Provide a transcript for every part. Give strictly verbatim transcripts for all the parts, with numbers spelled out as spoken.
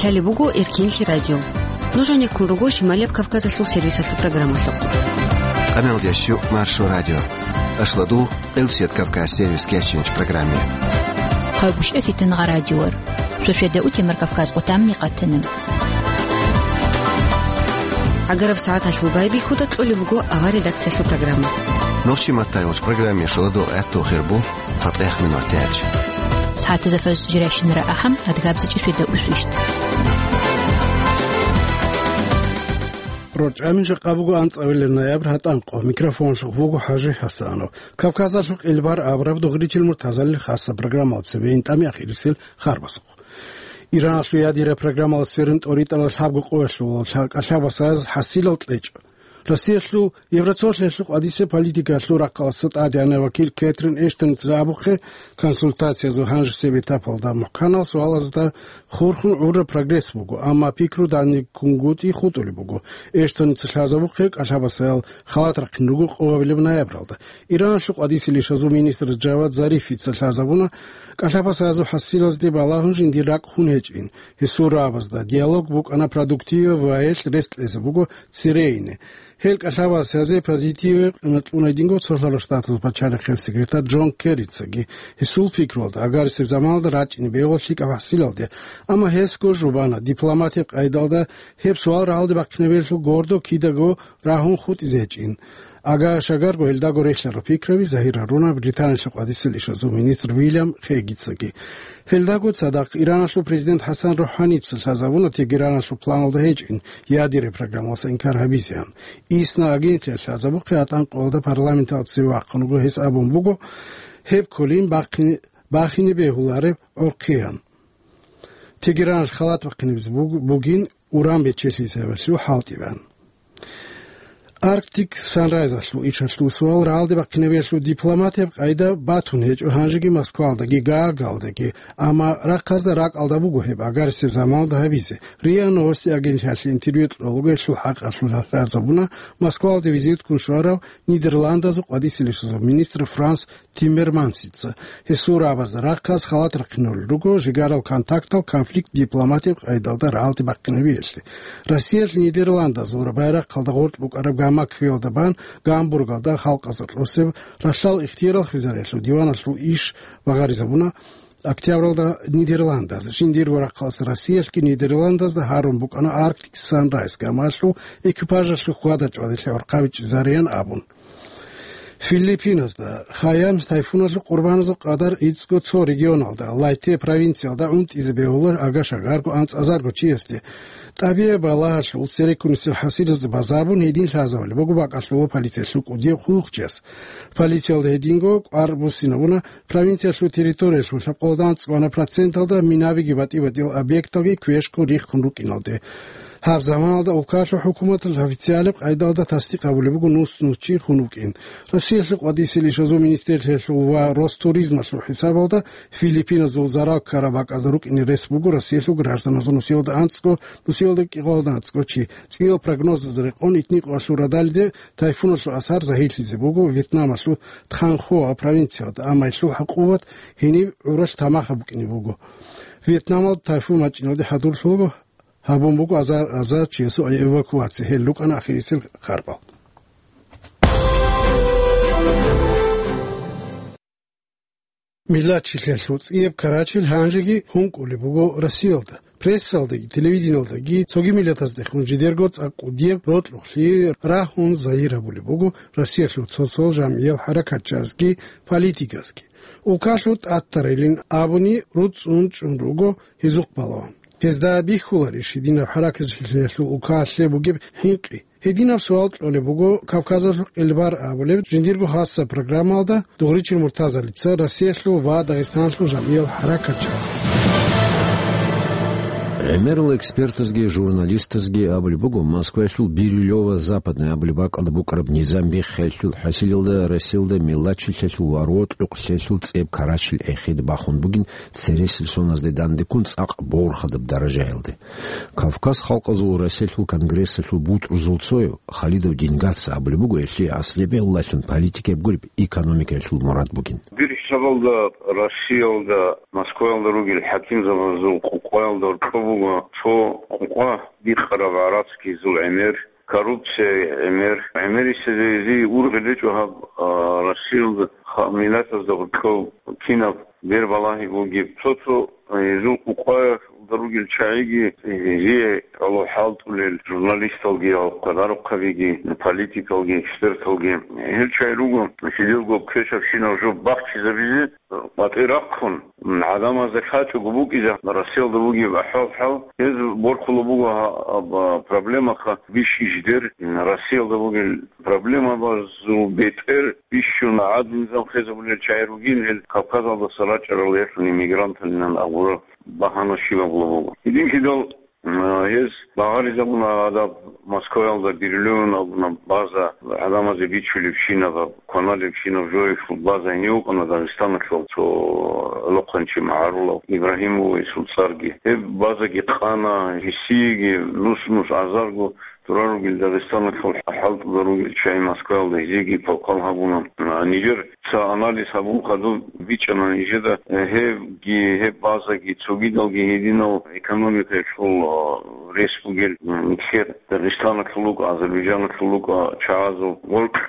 Лъалеб буго Эркинлъи радио. Нуж гьанеккун руго Шималияб Кавказалъул сервисалъул программалъухъ. Къамелдящу Маршо радио. Ашладу, Къилсият Кавказ сервис кечинч программе. Хъагушев Фитнагъа радиор. Шошведа утемар Кавказ къотамни къатана. Агараб сагӀаталъул байбихьуда кьолеб буго авар редакциялъул программа. Нохчи маттайолч программе шоладо гӀатту хирбу. ЦатӀех минутач. СагӀатазда фаз жирайщинара ахӀам, адгабзичӀи шведа усвищт. РорчӀамин жакъа буго анцӀавилеб ноябрь гьатӀанкъо. Микрофонлъухъ вуго ХӀажи ХӀасанов. Кавказалъухъ илбар абураб дугъричил муртазалил хасаб программалда цебе интӀами ахирисел харбасухъ. Иранлъу ядира программалас верин тӀоритӀарал лъабго къоялъул лъа-, кӀалъабасаз хӀасилал кьечӀо. Россиялъул, Евроцолъиялъул къвадисе политикалъул рахъалъа тӀадегӀанав вакил Кэтрин Эштонница абухъе, консультациязул гьанжесеб этапалда мухӀканал суалазда хурхун гӀурра прогресс буго, амма пикру данде кунгутӀи хутӀулеб буго. Эштонница лъазабухъе кӀалъабасаял халат рахъин руго къо гьабилеб ноябралда. Иранлъул къвадисе лишазул министр Джавад Зарифица лъазабуна, кӀалъабасаязул хӀасилазде балагьун жиндир ракӀ хун гьечӀин. Гьесул рагӀабазда диалог букӀана продуктиве ва гьелъ рес кьезе буго цере ине. Гьел кӀалъабасазе позитиве къимат кьуна гьединго Цолъарал Штатазул пачалихъе секретарь Джон Керрицаги. Гьесул пикруялда, агарисеб заманалда рачӀине бегьула лъикӀаб хӀасилалде, амма гьесго жубана дипломатияб къайдалда гьеб суал рагӀалде бахъинабиялъул гордо кидаго рагьун хутӀизе гьечӀин. Ага-шагарго гьелдаго рехьарал пикраби загьир гьаруна Британиялъул къвадисе лишазул министр Вильям Хегицаги. Гьелдаго цадахъ Иранлъул президент ХӀасан РухӀаница лъазабуна Тегераналъул планалда гьечӀин ядерный программаласа инкар гьабизеян. ИСНА агенталъ лъазабухъе гьатӀанкъоялда парламенталда цеве вахъун вуго, гьес абун буго, гьеб кколин бахъине, бахине бегьулареб гӀорхъиян. Тегераналъ халат бахъинабизе буг-, бугин уран бечелъи гьабиялъул хӀалтӀи бан. Arctic Sunrise-алъул ишалъул суал рагӀалде бахъинабиялъул дипломатияб къайда батун гьечӀо гьанжеги Москвалдаги Гаагалдаги, амма рахъазда ракӀалда буго гьеб агарисеб заманалда гьабизе. РИА Новости агенталъе интервью кьолого гьелъул хӀакъалъулъ лъазабуна, Москвалде визитккун щварав Нидерландазул къвадисе лишазул министр Франс Тиммермансица. Гьесул рагӀабазда рахъаз халат рахъинулел руго жигарал контактал конфликт дипломатияб къайдалда рагӀалде бахъинабиялъе. Россиялъ Нидерландазул байрахъалда гъоркь букӀараб гамак хьвелда бан Гамбургалда халкъазда кьосеб ралъдал ихтияр хвезариялъул диваналъул иш багъаризабуна октябралда Нидерландаз. Жиндирго рахъалъ Россиялъги Нидерландазда гьарун букӀана Arctic Sunrise гамалъул экипажалъул хьвада-чӀвади лъагӀурхъа бичӀчӀизариян абун. Филиппиназда Хаян тайфуналъул къурбаназул къадар гӀицӀго цо регионалда, Лайте провинциялда гӀунтӀизе бегьула ага-шагарго анцӀазарго чиясде. ТӀабигӀат балагьалъул цереккунисел хӀасилазда базабун гьедин лъазабулеб буго бакӀалъула полициялъул кӀудияв хъулухъчияс. Полициялда гьединго кӀвар буссинабуна провинциялъул территориялъул лъабкъоялда анцӀго проценталда минабиги батӀи-батӀиял объекталги квешго риххун рукӀиналде. Гьаб заманалда улкалъул хӀукуматалъ официалаб къайдалда тасдикъ гьабулеб буго нус-нус чи хун вукӀин. Россиялъул къвадисе лишазул министрлъиялъул ва Ростуризмалъул хӀисабалда Филиппиназул зарал ккараб бакӀазда рукӀине рес буго Россиялъул гражданазул нусиялда анцӀго, нусиялда кӀикъоялда анцӀго чи. ЦӀиял прогнозазда рекъон, итникъоялъул радалиде тайфуналъул асар загьирлъизе буго Вьетнамалъул Тханхуа провинциялда, амма гьелъул гӀакъубат гьениб гӀуралъ тамахаб букӀине буго. Вьетнамалда тайфун бачӀиналде хӀадурлъуго гьабун буго азар-азар чиясул эвакуация, гьел рукӀана ахирисел харбал. Миллатчилъиялъул цӀияб карачил гьанжеги гьункӀулеб буго Россиялда. Прессалдаги, телевидениялдаги цоги миллатаздехун жидерго цӀакъ кӀудияб рокьукълъи рагьун загьир гьабулеб буго Россиялъул цо-цо жамгӀиял хӀаракатчазги, политикасги. Улкалъул тӀатарилин абуни руцӀцӀун чӀун руго гьезухъ балагьун. Гьезда бихьуларищ гьединаб хӀаракатчилъиялъул улкалъе бугеб хӀинкъи? Гьединаб суал кьолеб буго Кавказалъул къилбар абулеб жиндирго хасаб программалда Дугъричил Муртазалица Россиялъул ва Дагъистаналъул жамгӀиял хӀаракатчиясда. ГӀемерал экспертазги журналистазги абулеб буго, Москваялъул Бирюлёво-Западный абулеб бакӀалда букӀараб низам биххиялъул хӀасилалда Россиялда миллатчилъиялъул ва рокьукълъиялъул цӀеб карачил эхеде бахун бугин цересел соназде дандеккун цӀакъ борхадаб даражаялде. Кавказ халкъазул Россиялъул конгрессалъул бутӀрузул цояв Халидов Дингаца абулеб буго, гьелъие аслияб гӀиллалъун политикаяб гуреб экономикаялъул мурад бугин. Дир хӀисабалда Россиялда, Москваялда ругел хӀакимзабазул къо-, къоялда рокьоб ва цо къукъа бикъараб гӀарацги гьезул гӀемер, коррупция гӀемер, гӀемерисезеги ургъел гьечӀо гьаб, а, Россиялда ха-, миллатазда гьоркьов кинаб бер балагьи бугеб. Цо-цо, а, гьезул къукъаялда ругел чагӀиги гьезие гӀоло хӀалтӀулел журналисталги, гьалккадарухъабиги, политикалги, эксперталги. Гьел чагӀи руго, жидерго квешабщинаб жо бахчизабизе, къватӀир рахъун, гӀадамазда лъачӀого букӀизе Россиялда бугеб ахӀвал-хӀал, гьез борхула буго гьа-, гьаб проблемаха бищи жидер, Россиялда бугел проблемабазул бетӀер бищун гӀадин низам хвезабулел чагӀи ругин, гьел Кавказалдаса рачӀарал яхӀун иммигранталинан абураб багьана щибаб буго. Гьединлъидал Гьез багъаризабуна гьадаб Москваялда, Берлинал абуна база, гӀадамазе бичулебщинаб, кваналебщинаб жоялъул база гьенив вукӀана Дагъистаналъул цо гӀолохъанчи магӀарулав Ибрагьим вугесул цӀарги. Гьеб базаги къана, гьесиеги нус-нус азарго турар ругел Дагъистаналъул хӀалтӀуда ругел чагӀи Москваялда гьезиеги квалквал гьабуна. Нижер Ца анализ гьабун хадуб бичӀчӀана нижеда, э, гьебги, гьеб базаги, цогидалги гьединал экономикаялъул, а, рес бугел, м, нилъер Дагъистаналъул рукӀа, Азербайджаналъул рукӀа чагӀазул гъоркь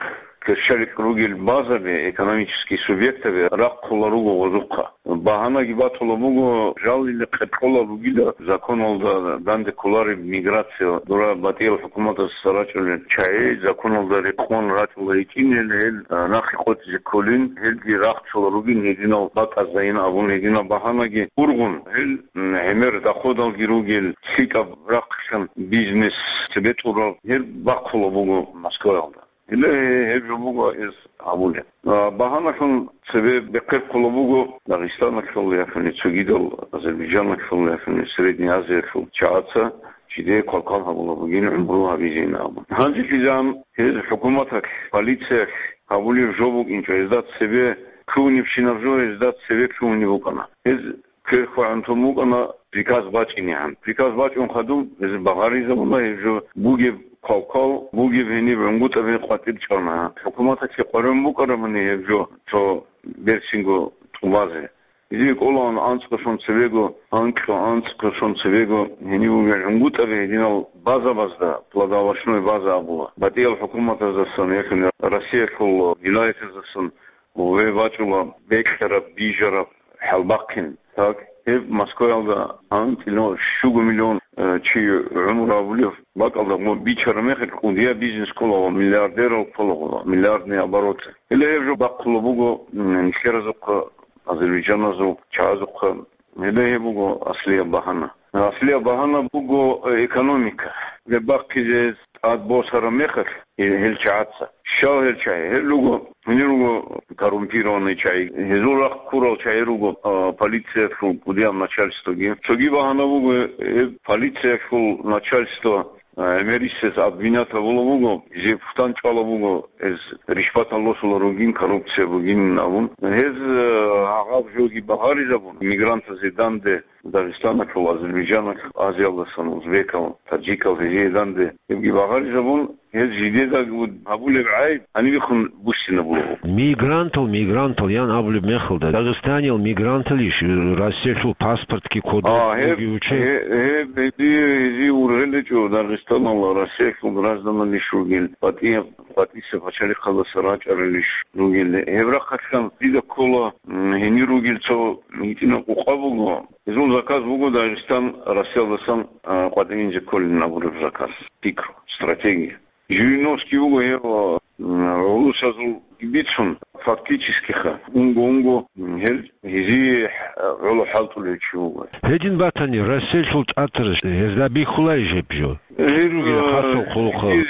кверщаликь ругел базаби, экономический субъектаби рахъула руго гъозухъа. Багьанаги батула буго, жалил къеркьола ругила законалда данде кколареб миграция, дура батӀиял хӀукуматас рачӀунел чагӀи законалда рекъон рачӀула гьечӀин, гьел, гьел, а, нахъе къотӀизе кколин, гьелги рахчула ругин гьединал батӀазайин абун гьединал багьанаги ургъун, гьел, м, гӀемер доходалги ругел, лъикӀаб рахъилъан бизнес цебетӀурал, гьел бахъула буго Москваялда. Гьеле гьеб жо буго гьез гьабулеб. А, багьаналъун цебе бехъерхъула буго Дагъистаналъул яхъуни цогидал, Азербайджаналъул яхъуни Средний Азиялъул чагӀаца жидее квалквал гьабула бугин гӀумру гьабизейин абун. Гьанже кизан гьез хӀукуматалъ, полициялъ гьабулеб жо букӀинчӀо, гьезда цебе лъугьунебщинаб жо гьезда цебе лъугьунеб букӀана. Гьез кверхва гӀунтун букӀана приказ бачӀинегӀан. Приказ бачӀун хадуб, гьез багъаризабуна гьеб жо бугеб квалквал, бугеб гьениб гӀунгутӀаби къватӀир чӀана. ХӀукуматалъе къваригӀун букӀарабани гьеб жо цо берцинго тӀубазе. Гьезие кӀолаан анцӀго сон цебего, анкьго анцӀго сон цебего гьениб бугел гӀунгутӀаби гьединал базабазда, плодоовощной база абула. БатӀиял хӀукуматаздасан яхъуни Россиялъул вилаятаздасан гьев бачӀула бекьараб, бижараб хӀалбахъин. Так, гьеб Москваялда анцӀила щуго миллион, э, чи гӀумру гьабулев бакӀалда гьеб бичараб мехалъ кӀудияб бизнес ккола ва миллиардерал ккола гьеб, миллиардный обороты. Гьеле гьеб жо бахъула буго, м, нилъеразухъа, азербайджаназул чагӀазухъа. Гьеле гьеб буго аслияб багьана. Аслияб багьана буго, э, экономика. Гьеб бахъизе тӀад босараб мехалъ, э, гьел чагӀаца. Щал гьел чагӀи? Гьел руго, гьенир руго коррумпированный чагӀи. Гьезул рахъ ккурал чагӀи руго, а, полициялъул кӀудияб начальствоги. Цоги багьана буго, э, полициялъул начальство, а, гӀемерисез обвинять гьабула буго, гьезие пухтан чӀвала буго, гьез ришватал росула ругин, коррупция бугин абун. Гьез, э, гьаб жоги багъаризабун, мигрантазе данде Дагъистаналъул, Азербайджаналъул, Азиялдасан узбекал, таджикал гьезие данде гьебги багъаризабун, гьез жидедаго гьабулеб гӀайиб гьанибехун буссинабулеб. Мигрантал, мигрантал ян абулеб мехалда, Дагъистаниял мигранталищ, Россиялъул паспортги кодоб А, гьеб, бугев чи? гье-, гьеб, гьезие, гьезие ургъел гьечӀо Дагъистанал, Россиялъул гражданлъищ ругел, батӀияб, батӀиса пачалихъалдаса рачӀаралищ ругел. Гьеб рахъалъан дида ккола, м, гьенир ругел цо гьитӀинаб къукъа буго. Гьезул заказ буго Дагъистан Россиялдасан, а, къватӀининзе кколин абураб заказ, пикру, стратегия. Жириновский вуго гьев, м, гӀурусазул бицун, фактически-ха, унго-унго, м, гьел гьезие, а, гӀоло хӀалтӀулев чи вуго. Гьедин батани, Россиялъул тӀатарас гьезда бихьуларищ гьеб жо? Гьел, Гьел ругел а, хасал хъулухъал. гьел,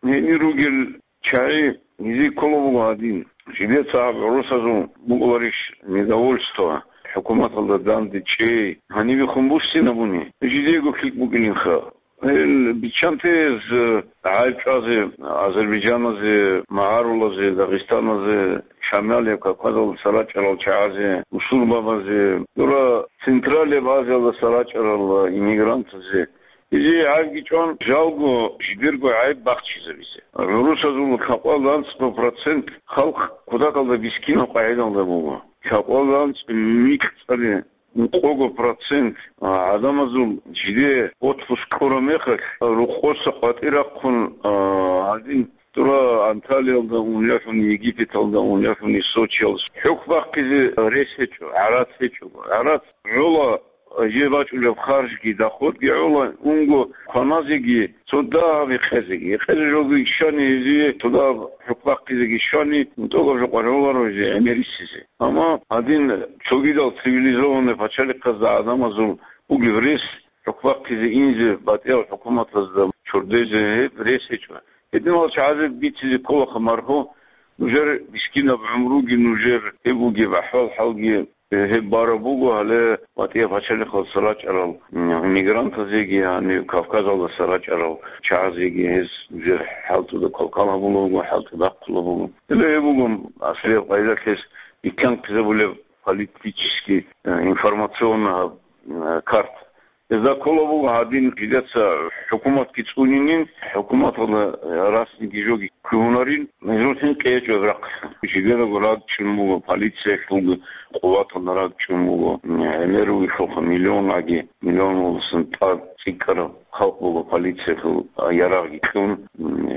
гьенир ругел ЧагӀи гьезие ккола буго гьадин. Жидеца гьаб гӀурусазул букӀуларищ недовольство, хӀукуматалда данде чӀей, гьанибехун буссинабуни? Жидеего лъикӀ букӀинилха. Гьел биччанте гьез, э, гӀайиб чӀвазе, азербайджаназе, магӀарулазе, дагъистаназе, Шамалияб Кавказалдаса рачӀарал чагӀазе, усурбабазе, дура Централияб Азиялдаса рачӀарал иммигрантазе, Гьезие гӀайибги чӀван, жалго жидерго гӀайиб бахчизабизе. ГӀурусазул лъабкъоялда анцӀго процент халкъ кутакалда бискинаб къагӀидалда буго. Лъабкъоялда анцӀго микьцӀали ункъого процент, а, гӀадамазул жиде отпуск кьураб мехалъ, рукъоса къватӀир рахъун, а, гьадин, дура Анталиялда ун яхӀун, Египеталда ун яхӀун, Сочиялда хӀухь бахъизе рес гьечӀо, гӀарац гьечӀого. ГӀарац гӀола, жер бачӀулеб харжги, доходги гӀола, унго кваназеги, цо дагьаб гьекъезеги. Гьекъезе жоги щани гьезие, цо дагьаб хӀухь бахъизеги щани, тӀокӀаб жо къваригӀоларо гьезие гӀемерисезе. Амма гьадин цогидал цивилизованный пачалихъазда гӀадамазул бугеб рес, хӀухь бахъизе инзе батӀиял хӀукуматазда чордезе гьеб рес гьечӀо. Гьединал чагӀазе бицизе кколаха марху, нужер мискинаб гӀумруги, нужер гьеб бугеб ахӀвал-хӀалги, э, гьеб бараб буго гьале батӀияб пачалихъалдаса рачӀарал, м, иммигрантазеги, гьанив Кавказалдаса рачӀарал чагӀазеги, гьез нужер хӀалтӀуда квалквал гьабулеб буго, хӀалтӀуда бахъулеб буго. Гьеле гьеб буго аслияб къайдалъ гьез бихьанхъизабулеб политический, э, информационный, э, карта. Гьезда ккола буго гьадин, жидеца хӀукуматги цӀунинин, хӀукуматалда расниги жоги ккугьунарин, гьезул хӀинкъи гьечӀо гьеб рахъалъ. Жидедаго рагчӀун буго, полициялъулги къуваталда рагчӀун буго, гӀемер вугелъулха миллионаги, миллионалдасан тӀад цӀикӀкӀараб халкъ буго полициялъул ярагъги кьун,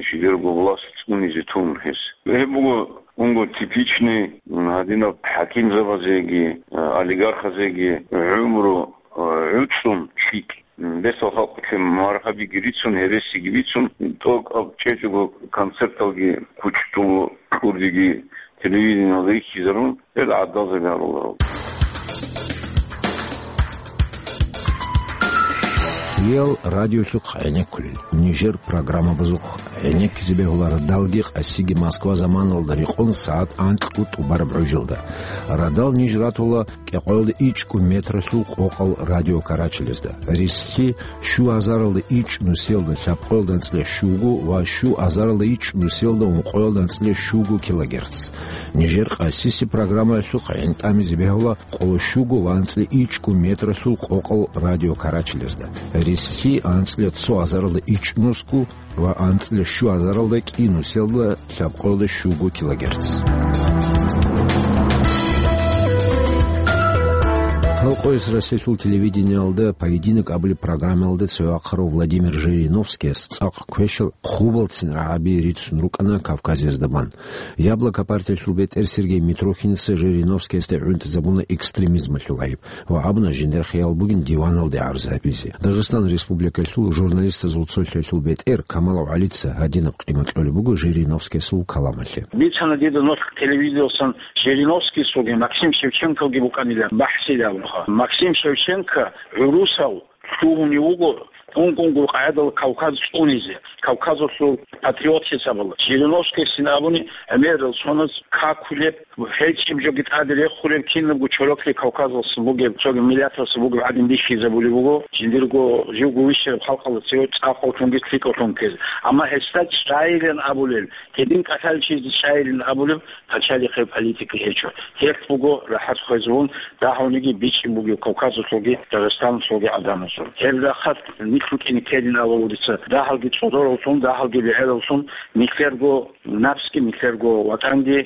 жидерго власть цӀунизе тун гьес. Гьеб буго унго типичный гьадинаб хӀакимзабазеги, олигархазеги гӀумру гӀуцӀун лъикӀ. Бесал халкъалъе маргьабиги рицун, гьересиги бицун, тӀокӀаб чӀечӀого концерталги кучӀдулго, кьурдиги телевидениялда рихьизарун, гьел гӀадалзаби гьаруларо. Гьел радиолъухъ гӀенеккулел, нижер программабазухъ гӀенеккизе бегьула радалги къасиги Москва заманалда рекъон сагӀат анкьго тӀубараб гӀужалда. Радал ниж ратула кӀикъоялда ичӀго метралъул къокъал радиокарачалазда. Рислъи щу азаралда ичӀнусиялда лъабкъоялда анцӀила щуго ва щу азаралда ичӀнусиялда ункъоялда анцӀила щуго килогерц. Нижер къасиси программаялъухъ гӀин тӀамизе бегьула къоло щуго ва анцӀила ичӀго метралъул къокъал радиокарачалазда. Рислъи анцӀила цо азаралда ичӀнусго ва анцӀила щу азаралда кӀинусиялда лъабкъоялда щуго килогерц. Халкъояс Россиялъул телевидениялда «Поединок» абулеб программаялда цеве вахъарав Владимир Жириновскияс цӀакъ квешал хъубалцин рагӀаби рицун рукӀана Кавказиязда бан. «Яблоко» партиялъул бетӀер Сергей Митрохиница Жириновскиясде гӀунтӀизабуна экстремизмалъул гӀайиб ва абуна жиндир хиял бугин диваналде гӀарз гьабизе. Дагъистан Республикалъул журналистазул цолъиялъул бетӀер Камалов ГӀалица гьадинаб къимат кьолеб буго Жириновскиясул каламалъе. Бицана дида нух телевизоралъан Жириновскийсулги Максим Шевченколги букӀанила бахӀсилан абунха. Максим Шевченко гӀурусал лъугьунев вуго ункъ-ункъо къагӀидал Кавказ цӀунизе, Кавказалъул патриот хӀисабалда. Жириновскийсин абуни, гӀемерал соназ какулеб, гьечӀеб жоги тӀаде рехулеб, кинабго чорокли Кавказалъул бугеб, цоги миллаталъул бугеб гӀадин бихьизабулеб буго, жиндирго живго вищараб халкъалда цеве цӀакъаллъунги лъикӀаллъун ккезе. Амма гьесда чӀайилан абулел, гьедин кӀалъалчизе чӀайилан абулеб, пачалихъе политика гьечӀо. Гьелъ буго рахӀат хвезабун, дагьавниги бичӀчӀи бугев Кавказалъулги Дагъистаналъулги гӀадамазул. Гьеб рахат нилъ рукӀине ккелин абулеб дица, дагьалги цӀодораллъун, дагьалги бегӀераллъун, нилъерго напсги, нилъерго ватӀанги,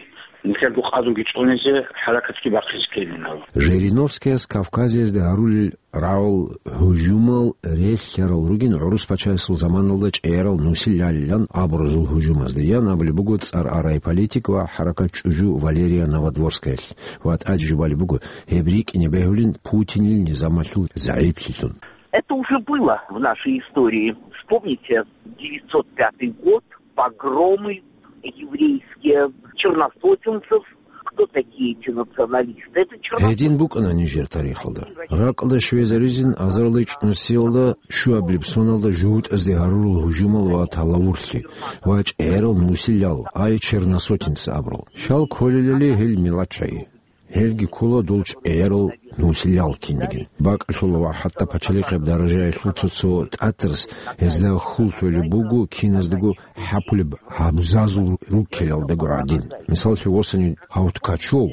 нилъерго къадруги цӀунизе, хӀаракатги бахъизе ккелин абу. Жириновскияс Кавказиязда гьарулел рагӀул гьужумал релълъарал ругин гӀурус пачаясул заманалда чӀегӀерал нусилалилан абуразул гьужумазда, ян абулеб буго цӀар арай политик ва хӀаракат чӀужу Валерия Новодворскаялъ. Ва тӀаде жубалеб буго, гьеб рикӀкӀине бегьулин Путинил низамалъул загӀиплъилъун. Это уже было в нашей истории. Вспомните девятьсот пятый год, погромы еврейские, черносотенцев. Кто такие эти националисты? Это черносотенцы. Гьедин букӀана нижер тарихалда. Ракьалда щвезаризин азарилда ичӀнусиялда щуабилеб соналда жугьутӀазде гьарурал гьужумал ва талавурлъи, ва чӀегӀерал нусилал, ай черносотенцы абурал. Щал кколелали гьел миллатчагӀи. Гьелги ккола дол чӀегӀерал нусилал кинигин. БакӀалъула ва хӀатта пачалихъеб даражаялъул цо-цо тӀатарс гьезда хьул лъолеб буго киназдаго хӀапулеб гьабзазул руккелалдаго гӀадин. Мисаллъи, восани гьав Ткачев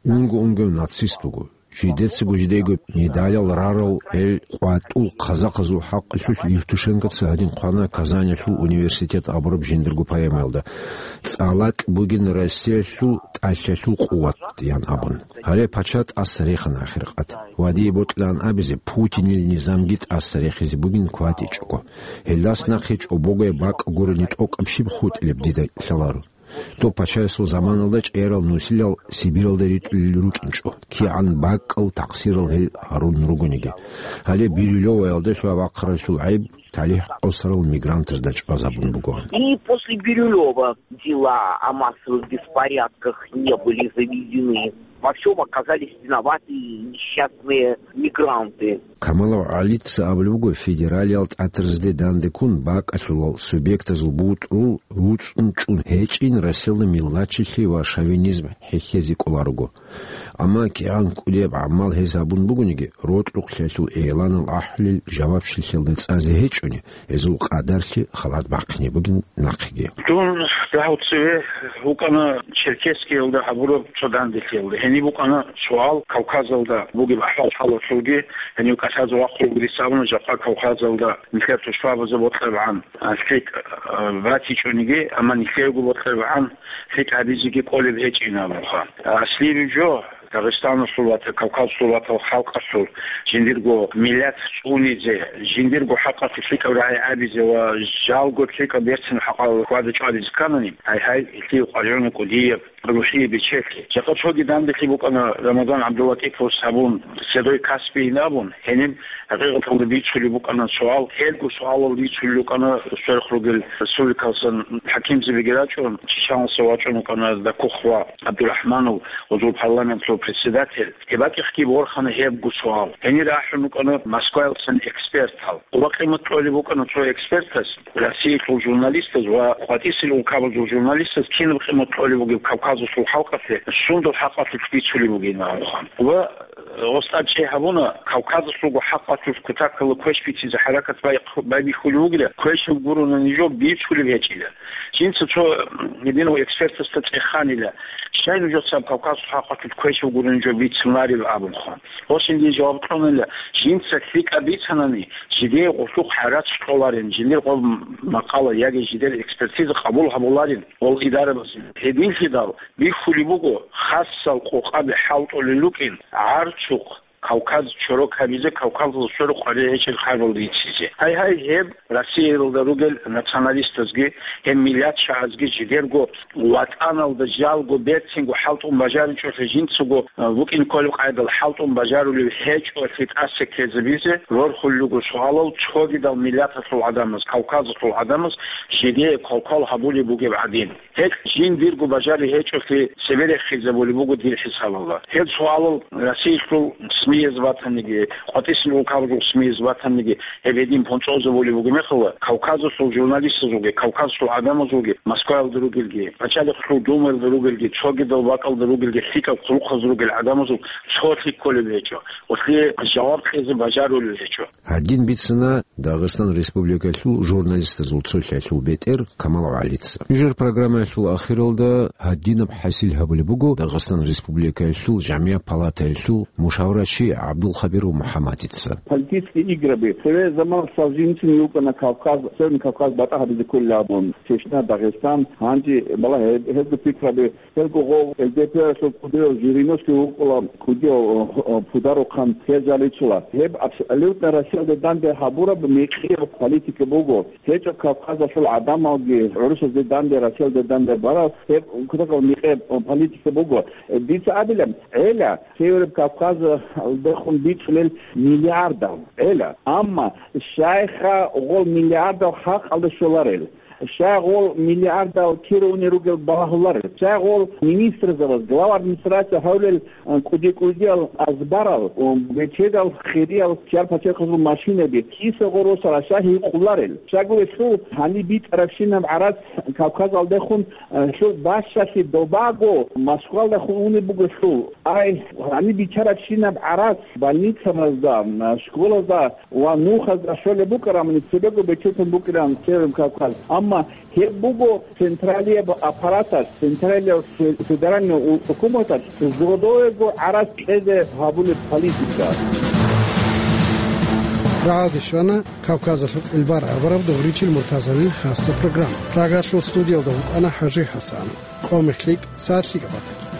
унго-унгояв нацист вуго. жидецаго жидейго медалал рарал гьел къватӀул казахазул хӀакъалъулъ Евтушенкоца гьадин хъвана Казанилъул университет абураб жиндирго поэмаялда: «ЦӀалакь бугин Россиялъул тӀалъалъул къуват», – ян абун. Гьале пача тӀаса рехана ахиркъат. Ва дие бокьилаан абизе, Путинил низамги тӀаса рехизе бугин кватӀичӀого. Гьелдас нахъе чӀобогай бакӀ гурони тӀокӀаб щиб хутӀилеб дида лъаларо. Доб пачаясул заманалда чӀерал нусилал Сибиралда ритӀулел рукӀинчӀо, кигӀан бакӀал такъсирал гьел гьарун ругониги. Гьале Бирюлеваялда лъугьа-бахъаралъул гӀайиб талихӀ къосарал мигрантазда чӀвазабун бугоан. И после Бирюлева дела о массовых беспорядках не были заведены. Во всём оказались виноваты несчастные мигранты. Камалов ГӀалица абулеб буго федералиял тӀатразде данде ккун бакӀалъулал субъектазул бутӀрул руцӀцӀун чӀун гьечӀин Россиялда миллатчилъи ва шовинизм хӀехьезе кӀоларого. Амма кигӀан кӀудияб гӀамал гьез гьабун бугониги, рокьукълъиялъул игӀланал ахӀулел жавабчилъиялда цӀазе гьечӀони, гьезул къадарлъи халат бахъине бугин нахъеги. Дун дагьав цеве вукӀана Черкесскиялда гьабураб цо данделъиялда. Гьениб букӀана суал Кавказалда бугеб ахӀвал-хӀалалъулги, гьенив кӀалъазе вахъулгури сабуна жакъа Кавказалда нилъер тушбабазда бокьарабгӀан лъикӀ, а, батичӀониги, амма нилъеего бокьарабгӀан лъикӀ гьабизеги кӀолеб гьечӀин абунха. Аслияб жо, Дагъистаналъул ватал, Кавказалъул ватал халкъалъул жиндирго миллат цӀунизе, жиндирго хӀакъалъулъ лъикӀаб рагӀи абизе ва жалго лъикӀаб берцин хӀакъалъулъ хьвада-чӀвадизе кканани, гьай-гьай, гьелъие къваригӀуна кӀудияб рухӀие бечелъи. Жакъа цоги данделъи букӀана Рамазан ГӀабдуллатӀиповас гьабун, Седой Каспийин абун, гьениб гьакъикъаталда бицулеб букӀана суал, гьелго суалал бицулел рукӀана сверухъ ругел республикалсан хӀакимзабиги рачӀун, Чечалдаса вачӀун вукӀана Дакух ва ГӀабдурахӀманов, гьезул парламентлъул председатель. Гьеб бакӀихъги борхана гьебго суал. Гьенир ахӀун рукӀана Москваялдасан экспертал. Къуба-къимат кьолеб букӀана цо экспертас, Россиялъул журналистаз ва къватӀисел улкабазул журналистаз кинаб къимат кьолеб бугеб Кавказалъул халкъалъе, сундул хӀакъалъулъ бицулеб бугин абуха. Ва, э, гьес тӀад чӀей гьабуна, Кавказалъулго хӀакъалъулъ кутакалда квеш бицизе хӀаракат бай-, байбихьулев вугила, квешаб гурони жо бицулеб гьечӀила. Жинца цо, м, гьединав экспертасда цӀеханила, щай нужецаго Кавказалъул хӀакъалъулъ квешаб гурони жо бицунареб абунха. Гьесие жаваб кьунила, жинца лъикӀаб бицанани, жидее гъулъухъ гӀарац кьоларин, жиндир гъоб макъала яги жидер экспертиза къабул гьабуларин гъол идарабазе. Гьединлъидал бихьулеб буго, хасал къокъаби хӀалтӀулел рукӀин, гӀарцухъ Кавказ чорок гьабизе, Кавказалъул сверухъ къваригӀел гьечӀел хабал бицизе. Гьай-гьай, гьеб Россиялда ругел националистазги, гьеб миллатчагӀазги жидерго ватӀаналда жалго берцинго хӀалтӀун бажаричӀолъи жинцаго, а, букӀин кколеб къайдал хӀалтӀун бажарулев гьечӀолъи тӀаса ккезабизе рорхулел руго суалал цогидал миллаталъул гӀадамаз, Кавказалъул гӀадамаз жидее квалквал гьабулеб бугеб гӀадин. Гьелъ жиндирго бажари гьечӀолъи цебе рехизабулеб буго дир хӀисабалда. Гьел суалал Россиялъул СМИ-яз батаниги, къватӀисел улкабазул СМИ-яз батаниги, гьеб гьедин понцӀозабулеб буго мехалда, Кавказалъул журналистазулги, Кавказалъул гӀадамазулги, Москваялда ругелги, Пачалихъалъулъ Думаялда ругелги, цогидал бакӀалда ругелги, лъикӀаб хъулухъаз ругел гӀадамазул цолъи кколеб гьечӀо, гьелъие жаваб кьезе бажарулел гьечӀо. Гьадин бицана Дагъистан Республикалъул журналистазул цолъиялъул бетӀер Камал ГӀалица. Нужер программаялъул ахиралда гьадинаб хӀасил гьабулеб буго Дагъистан Республикалъул ЖамигӀат палатаялъул мушаврачи ГӀабдулхабиров МухӀаммадица. Политические игры. Цеве заман Солженицын вукӀана Кавказ, Северный Кавказ батӀа гьабизе кколеб абун, Чечня, Дагъистан, гьанже балагье гьезул пикраби. Гьелго гъов ЛДП-асул кӀудияв Жириновский вукӀула, кӀудияв, о, о, пударухъан гьез жаличила. Гьеб абсолютно Россиялде данде гьабураб мекъияб политика буго. ГьечӀо Кавказалъул гӀадамалги гӀурусазде данде, Россиялде данде бараб, гьеб кутакаб мекъияб, о, политика буго. Э, дица абилеб, гӀела, Северный Кавказалдехун бицунел миллиардал, гӀела. Амма щайха гъол миллиардал халкъалде щоларел? Щай гъол миллиардал кире унел ругел балагьуларел? Щай гъол министрзабаз, глава администрация гьавлел, э, кӀуди-кӀудиял азбарал, э, бетедал хириял чияр-пачарихъазул машинаби киса гъоросара щай гьикъуларел? Щай гурелъул гьаниб битӀарабщинаб гӀарац Кавказалдехун, э, лъул бащалъи добаго Москвалдехун унеб бугелъул. Ай, гьаниб бичарабщинаб гӀарац больницабазда, э, школазда ва нухазда щолеб букӀарамани цебего бететун букӀаран Северный Кавказ. Амма Гьеб буго централияб аппараталъ, централияб фе-, федеральный у-, хӀукуматалъ зодоего гӀарац кьезе гьабулеб политика. Рагьалде щвана Кавказалъул гӀилбар абураб Дугъричил Муртазалил хасса программа. Прагалъул студиялда вукӀана ХӀажи ХӀасан. Къомехлъи, сагӀатлъи габатӀа.